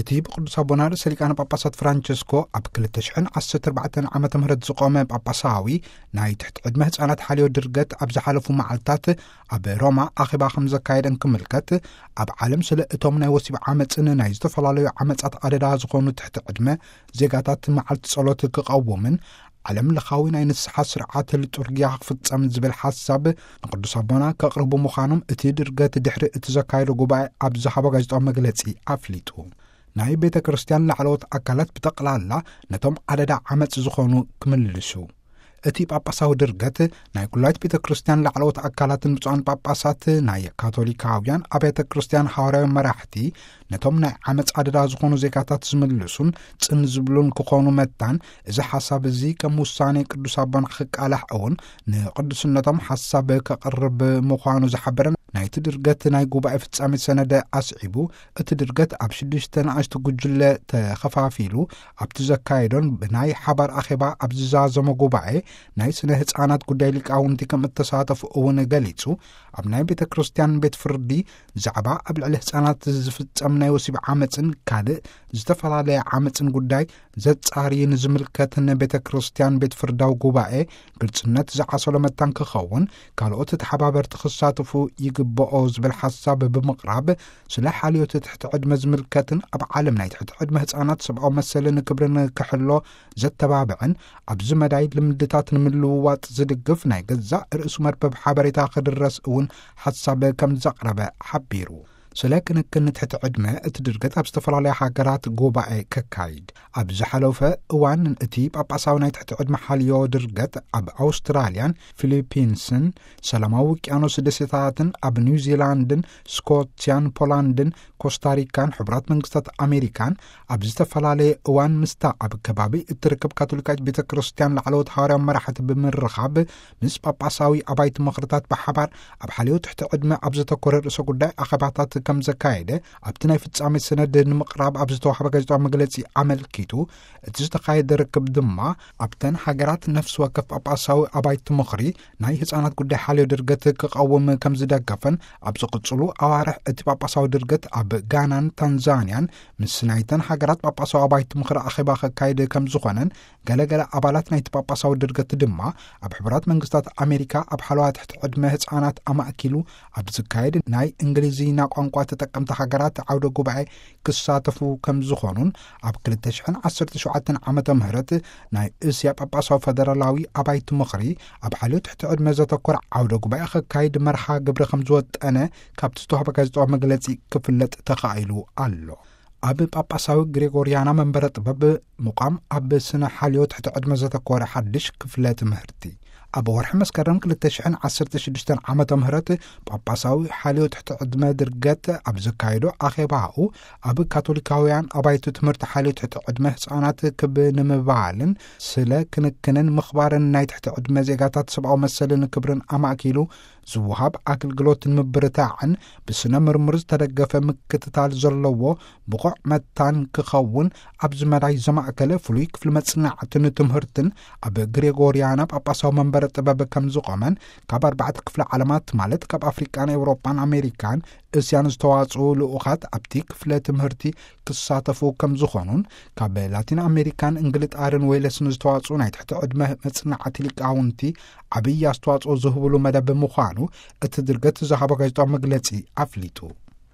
እቲ ብቅዱስ ኣቦና ርእሰ ሊቃነ ጳጳሳት ፍራንቸስኮ ኣብ ክልተ ሽሕን ዓሰርተ ኣርባዕተን ዓመተ ምህረት ዝቖመ ጳጳሳዊ ናይ ትሕቲ ዕድመ ህፃናት ሓልዮ ድርገት ኣብ ዝሓለፉ መዓልታት ኣብ ሮማ ኣኼባ ከም ዘካየደን ክምልከት፣ ኣብ ዓለም ስለ እቶም ናይ ወሲብ ዓመፅን ናይ ዝተፈላለዩ ዓመፃት ኣደዳ ዝኾኑ ትሕቲ ዕድመ ዜጋታት መዓልቲ ጸሎት ክቐውምን ዓለም ለኻዊ ናይ ንስሓ ስርዓት ልጡርጊያ ክፍጸም ዝብል ሓሳብ ንቅዱስ ኣቦና ከቕርቡ ምዃኖም እቲ ድርገት ድሕሪ እቲ ዘካየዶ ጉባኤ ኣብ ዝሃቦ ጋዜጣዊ መግለጺ ኣፍሊጡ። ናይ ቤተ ክርስቲያን ላዕለዎት ኣካላት ብጠቕላላ ነቶም ኣደዳ ዓመጽ ዝኾኑ ክምልሱ። እቲ ጳጳሳዊ ድርገት ናይ ኩላይት ቤተ ክርስቲያን ላዕለዎት ኣካላትን ብፁዓን ጳጳሳት ናይ ካቶሊካውያን ኣብያተ ክርስቲያን ሃዋርያዊ መራሕቲ ነቶም ናይ ዓመፅ ኣደዳ ዝኾኑ ዜጋታት ዝምልሱን ጽን ዝብሉን ክኾኑ መታን፣ እዚ ሓሳብ እዚ ከም ውሳኔ ቅዱስ ኣቦና ክቃላሕ እውን ንቅዱስነቶም ሓሳብ ከቕርብ ምዃኑ ዝሓበረ ናይቲ ድርገት ናይ ጉባኤ ፍጻሜ ሰነደ ኣስዒቡ፣ እቲ ድርገት ኣብ ሽዱሽተ ንኣሽቱ ጉጅለ ተኸፋፊሉ ኣብቲ ዘካየዶን ብናይ ሓባር ኣኼባ ኣብ ዝዛዘሞ ጉባኤ ናይ ስነ ህፃናት ጉዳይ ሊቃውንቲ ከም እተሳተፉ እውን ገሊጹ። ኣብ ናይ ቤተ ክርስቲያን ቤት ፍርዲ ዛዕባ ኣብ ልዕሊ ህፃናት ዝፍጸም ናይ ወሲብ ዓመፅን ካልእ ዝተፈላለየ ዓመፅን ጉዳይ ዘጻሪ ንዝምልከትን ቤተ ክርስቲያን ቤት ፍርዳዊ ጉባኤ ግልጽነት ዝዓሰሎ መታን ክኸውን ካልኦት ተሓባበርቲ ክሳተፉ ይግብኦ ዝብል ሓሳብ ብምቕራብ፣ ስለ ሓልዮት ትሕቲ ዕድመ ዝምልከትን ኣብ ዓለም ናይ ትሕቲ ዕድመ ህፃናት ሰብኣዊ መሰልን ክብርን ክሕሎ ዘተባብዕን ኣብዚ መዳይ ልምድታት ንምልውዋጥ ዝድግፍ ናይ ገዛእ ርእሱ መርበብ ሓበሬታ ክድረስ እውን ሓሳብ ከም ዘቕረበ ሓቢሩ። ስለ ክንክን ትሕቲ ዕድመ እቲ ድርገት ኣብ ዝተፈላለያ ሃገራት ጉባኤ ከካይድ ኣብ ዝሓለፈ እዋን እቲ ጳጳሳዊ ናይ ትሕቲ ዕድመ ሓልዮ ድርገት ኣብ ኣውስትራልያን ፊሊፒንስን ሰላማዊ ውቅያኖስ ደሴታትን ኣብ ኒውዚላንድን ስኮትያን ፖላንድን ኮስታሪካን ሕቡራት መንግስታት ኣሜሪካን ኣብ ዝተፈላለየ እዋን ምስታ ኣብ ከባቢ እትርከብ ካቶሊካዊት ቤተ ክርስቲያን ላዕለዎት ሃዋርያዊ መራሕቲ ብምርኻብ ምስ ጳጳሳዊ ኣባይቲ ምኽርታት ብሓባር ኣብ ሓልዮ ትሕቲ ዕድመ ኣብ ዘተኮረ ርእሰ ጉዳይ ኣኼባታት ከም ዘካየደ ኣብቲ ናይ ፍጻሜ ሰነድ ንምቕራብ ኣብ ዝተዋህበ ጋዜጣዊ መግለጺ ኣመልኪቱ፣ እቲ ዝተኻየደ ርክብ ድማ ኣብተን ሃገራት ነፍሲ ወከፍ ጳጳሳዊ ኣባይቲ ምኽሪ ናይ ህፃናት ጉዳይ ሓልዮ ድርገት ክቐውም ከም ዝደገፈን ኣብ ዝቕጽሉ ኣዋርሕ እቲ ጳጳሳዊ ድርገት ኣብ ጋናን ታንዛንያን ምስ ናይተን ሃገራት ጳጳሳዊ ኣባይቲ ምኽሪ ኣኼባ ከካይድ ከም ዝኾነን ገለገለ ኣባላት ናይቲ ጳጳሳዊ ድርገት ድማ ኣብ ሕቡራት መንግስታት ኣሜሪካ ኣብ ሓለዋ ትሕቲ ዕድመ ህፃናት ኣማእኪሉ ኣብ ዝካየድ ናይ እንግሊዝኛ ቋንቋ ተጠቀምቲ ሃገራት ዓውደ ጉባኤ ክሳተፉ ከም ዝኾኑን ኣብ ክልተ ሽሕን ዓሰርተ ሸውዓተን ዓመተ ምህረት ናይ እስያ ጳጳሳዊ ፈደራላዊ ኣባይቲ ምኽሪ ኣብ ሓልዮ ትሕቲ ዕድመ ዘተኮረ ዓውደ ጉባኤ ከካይድ መርሃ ግብሪ ከም ዝወጠነ ካብቲ ዝተዋህበ ጋዜጣዊ መግለጺ ክፍለጥ ተኻኢሉ ኣሎ። ኣብ ጳጳሳዊ ግሬጎርያና መንበረ ጥበብ ምቋም ኣብ ስነ ሓልዮ ትሕቲ ዕድመ ዘተኮረ ሓድሽ ክፍለ ትምህርቲ። ኣብ ወርሒ መስከረም ክልተ ሽሕን ዓሰርተ ሽዱሽተን ዓመተ ምህረት ጳጳሳዊ ሓልዮ ትሕቲ ዕድመ ድርገት ኣብ ዘካየዶ ኣኼባኡ ኣብ ካቶሊካውያን ኣባይቲ ትምህርቲ ሓልዮ ትሕቲ ዕድመ ህፃናት ክብ ንምባልን ስለ ክንክንን ምኽባርን ናይ ትሕቲ ዕድመ ዜጋታት ሰብኣዊ መሰልን ክብርን ኣማእኪሉ ዝወሃብ ኣገልግሎት ንምብርታዕን ብስነ ምርምር ዝተደገፈ ምክትታል ዘለዎ ብቑዕ መታን ክኸውን ኣብዚ መዳይ ዘማእከለ ፍሉይ ክፍሊ መጽናዕትን ትምህርትን ኣብ ግሬጎርያና ጳጳሳዊ መንበረ ጥበብ ከም ዝቖመን ካብ ኣርባዕተ ክፍለ ዓለማት ማለት ካብ ኣፍሪቃን ኤውሮጳን ኣሜሪካን እስያን ዝተዋጽኡ ልኡኻት ኣብቲ ክፍለ ትምህርቲ ክሳተፉ ከም ዝኾኑን ካብ ላቲን ኣሜሪካን እንግልጣርን ዌልስን ዝተዋጽኡ ናይ ትሕቲ ዕድመ መጽናዕቲ ሊቃውንቲ ዓብዪ ኣስተዋጽኦ ዝህብሉ መደብ ምዃኑ እቲ ድርገት ዝሃቦ ጋዜጣዊ መግለጺ ኣፍሊጡ።